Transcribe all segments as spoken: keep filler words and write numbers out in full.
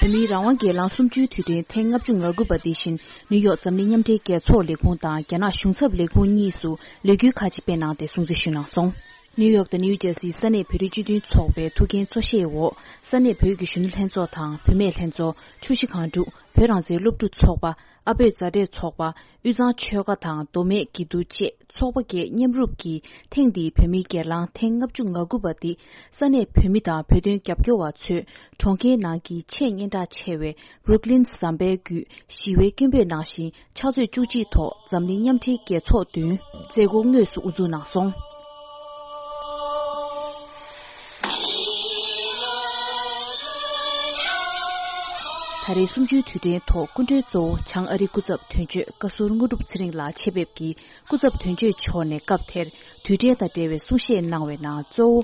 བོད་མིའི་རང་དབང་སྒེར་ལངས་གསུམ་བཅུའི་དུས་དྲན་ཐེངས་ལྔ་བཅུ་ང་དགུ་པ་འདི་བཞིན་ནིའུ་ཡོག་འཛམ་གླིང་མཉམ་འབྲེལ་རྒྱལ་ཚོགས་ལས་ཁུངས་དང་རྒྱ་ནག་གཞུང་ཚབ་ལས་ཁུངས་གཉིས་སུ་ལོ་རྒྱུས་ཁག་ཅིག་སྤེལ་གནང་སྟེ་སྲུང་བརྩི་ཞུས་གནང་སོང་། ནིའུ་ཡོག་དང་ནིའུ་ཇར་སིའི་ས་གནས་བོད་རིགས་སྤྱི་མཐུན་ཚོགས་པའི་ཐུགས་འགན་གཙོ་བཞེས་འོག་ས་གནས་བོད་ཀྱི་གཞོན་ནུ་ལྷན་ཚོགས་དང་བུད་མེད་ལྷན་ཚོགས། ཆུ་བཞི་སྒང་དྲུག་བོད་རང་བཙན་སློབ་ཕྲུག་ཚོགས་པ། ཨ་བོད་མཛའ་འབྲེལ་ཚོགས་པ། དབུས་གཙང་ཆོལ་ཁ་དང་མདོ་སྨད་སྐྱིད་སྡུག་བཅས་ཚོགས་པ་བརྒྱད་མཉམ་རུབ་ཀྱིས་ཐེངས་འདིའི་བོད་མིའི་སྒེར་ལངས་ཐེངས་ལྔ་བཅུ་ང་དགུ་པ་འདི་ས་གནས་བོད་མི་དང་བོད་དོན་རྒྱབ་སྐྱོར་བ་ཚོས་གྲོང་ཁྱེར་ནང་གི་ཆེས་སྙན་གྲགས་ཆེ་བའི་Brooklyn་ཟམ་པའི་བརྒྱུད་ཞི་བའི་སྐད་འབོད་གནང་ཞིང་། ཕྱག་ཚོད་བཅུ་གཅིག་ཐོག་འཛམ་གླིང་མཉམ་འབྲེལ་རྒྱལ་ཚོགས་མདུན་མཛད་སྒོ་དངོས་སུ་དབུ་འཛུགས་གནང་སོང་། ད་རེས་གསུམ་བཅུའི་དུས་དྲན་ཐོག་སྐུ་མགྲོན་གཙོ་བོ་བྱང་ཨ་རིའི་སྐུ་ཚབ་དོན་གཅོད་བཀའ་ཟུར་དངོས་གྲུབ་ཚེ་རིང་ལགས་ཆེད་ཕེབས་ཀྱིས་སྐུ་ཚབ་དོན་གཅོད་མཆོག་ནས་སྐབས་དེར་དུས་དྲན་དང་འབྲེལ་བའི་གསུང་བཤད་གནང་བའི་ནང་གཙོ་བོ།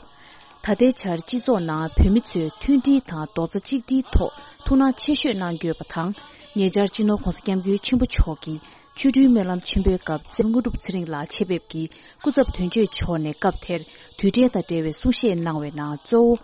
ད་ལྟའི་ཆར་སྤྱི་ཚོགས་ནང་བོད་མི་ཚོས་མཐུན་སྒྲིལ་དང་རྡོག་རྩ་གཅིག་སྒྲིལ་ཐོག་ཐུགས་སྣང་ཆེ་ཤོས་གནང་དགོས་པ་དང་། ཉེ་ཆར་སྤྱི་ནོར་༧གོང་ས་༧སྐྱབས་མགོན་ཆེན་པོ་མཆོག་གིས་ཆོ་འཕྲུལ་སྨོན་ལམ་ཆེན་པོའི་སྐབས་ཚེ་དངོས་གྲུབ་ཚེ་རིང་ལགས་ཆེད་ཕེབས་ཀྱིས་སྐུ་ཚབ་དོན་གཅོད་མཆོག་ནས་སྐབས་དེར་དུས་དྲན་དང་འབྲེལ་བའི་གསུང་བཤད་གནང་བའི་ནང་གཙོ་བོ།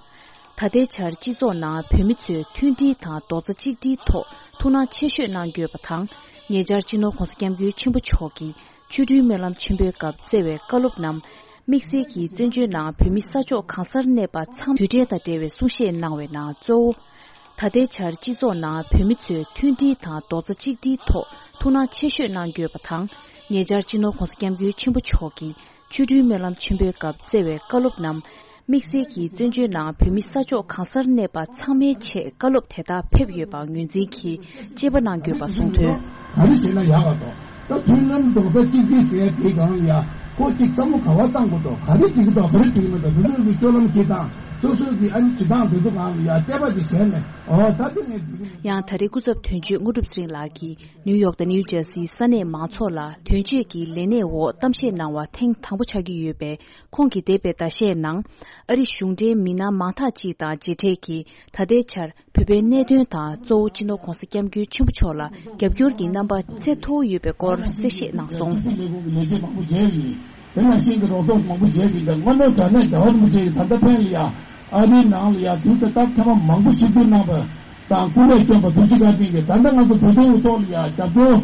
ད་ལྟའི་ཆར་སྤྱི་ཚོགས་ནང་བོད་མི་ཚོས་མཐུན་སྒྲིལ་དང་རྡོག་རྩ་གཅིག་སྒྲིལ་ཐོག་ཐུགས་སྣང་ཆེ་ཤོས་གནང་དགོས་པ་དང་། ཉེ་ཆར་སྤྱི་ནོར་༧གོང་ས་༧སྐྱབས་མགོན་ཆེན་པོ་མཆོག་གིས་ཆོ་འཕྲུལ་སྨོན་ལམ་ཆེན་པོའི་སྐབས་བསྩལ་བའི་བཀའ་སློབ་རྣམས། དམིགས་བསལ་གྱིས་བཙན་བྱོལ་ནང་བོད་མི་ས་ཕྱོགས་གང་སར་གནས་པ་ཚང་མ་དུས་དྲན་དང་འབྲེལ་བའི་གསུང་བཤད་གནང་བའི་ནང་གཙོ་བོ། ད་ལྟའི་ཆར་སྤྱི་ཚོགས་ནང་བོད་མི་ཚོས་མཐུན་སྒྲིལ་དང་རྡོག་རྩ་གཅིག་སྒྲིལ་ཐོག་ཐུགས་སྣང་ཆེ་ཤོས་གནང་དགོས་པ་དང་། ཉེ་ཆར་སྤྱི་ནོར་༧གོང་ས་༧སྐྱབས་མགོན་ཆེན་པོ་མཆོག་གིས་ཆོ་འཕྲུལ་སྨོན་ལམ་ཆེན་པོའི་སྐབས་བསྩལ་བའི་བཀའ་སློབ་རྣམས། དམིགས་བསལ་གྱིས་བཙན་བྱོལ་ནང་བོད་མི་ས་ཕྱོགས་གང་སར་གནས་པ་ཚང་མའི་ཆེད་བཀའ་སློབ་དེ་དག་ཕེབས་ཡོད་པ་ངོས་འཛིན་གྱིས་དཔྱད་པ་གནང་དགོས་པ་གསུངས་དོན། ག་རེ་བྱས་ན་ཡག་ག་དང་། ད་མཐུན་ལམ་རྡོག་རྩ་གཅིག་སྒྲིལ་ཟེར་དེ་གང་ཡ། ཁོ་གཅིག་བསམ་བློ་ག་བ་བཏང་དགོས་དོ། ག་རེ་འགྲིག་གི་འདུག་ག་རེ་འགྲིག་གི་མི་འདུག་དེ་ཚོ་གི་སྤྱོད་ལམ་གྱི་དང་སོ་སོ་གི་ཨ་ནི་བྱེད་སྟངས་དེ་ཚོ་གང་ལ་ཡ་དཔྱད་པ་ཅིག་བྱས་ནས། ཨོ་ད་དེ་ངས་འགྲིག་གི་མི་འདུག་ཡང་ད་རེས་སྐུ་ཚབ་དོན་གཅོད་དངོས་གྲུབ་ཚེ་རིང་ལགས་ཀྱིས་ནིའུ་ཡོག་དང་ནིའུ་ཇར་སིའི་ས་གནས་མང་ཚོགས་ལ་དོན་གཅོད་ཀྱི་ལས་གནས་འོག་གཏམ་བཤད་གནང་བ་ཐེངས་དང་པོ་ཆགས་ཀྱི་ཡོད་པས། ཁོང་གིས་འདས་པའི་ཟླ་ཤས་ནང་ཨ་རི་གཞུང་འབྲེལ་མི་སྣ་མང་དག་ཅིག་དང་མཇལ་འཕྲད་ཀྱིས་ད་ལྟའི་ཆར་བོད་པའི་གནད་དོན་དང་གཙོ་བོ་སྤྱི་ནོར་༧གོང་ས་༧སྐྱབས་མགོན་ཆེན་པོ་མཆོག་ལ་རྒྱབ་སྐྱོར་གྱི་རྣམ་པ་ཚད་མཐོ་བོ་ཡོད་པའི་སྐོར་གསལ་བཤད་གནང་སོང་། ལས་ཁུངས་ཀྱི་ལས་བྱེད་མང་པོ་མཇལ་ཡིན། དེ་ནང་བཞིན་གྱི་རོགས་ཚོགས་མང་པོ་བྱས་ཏེ་དངོས་གནས་དྲང་གནས་རྒྱལ་བ་རིན་པོ་ཆེ་གིས་ད་ལྟ་ཕན་ལ་ཡ་ཨ་རིའི་ནང་ལ་ཡ་དུས་དེ་དག་ཐེངས་མ་མང་པོ་ཞིག་བསྡུ་གནང་བ་དང་སྐུ་ལས་བསྐྱོན་པ་ཐུགས་རྗེ་བཀའ་དྲིན་གྱིས་ད་ལྟ་ང་ཚོ་བོད་དོན་གྱི་ཐོག་ལ་ཡ་རྒྱབ་སྐྱོར་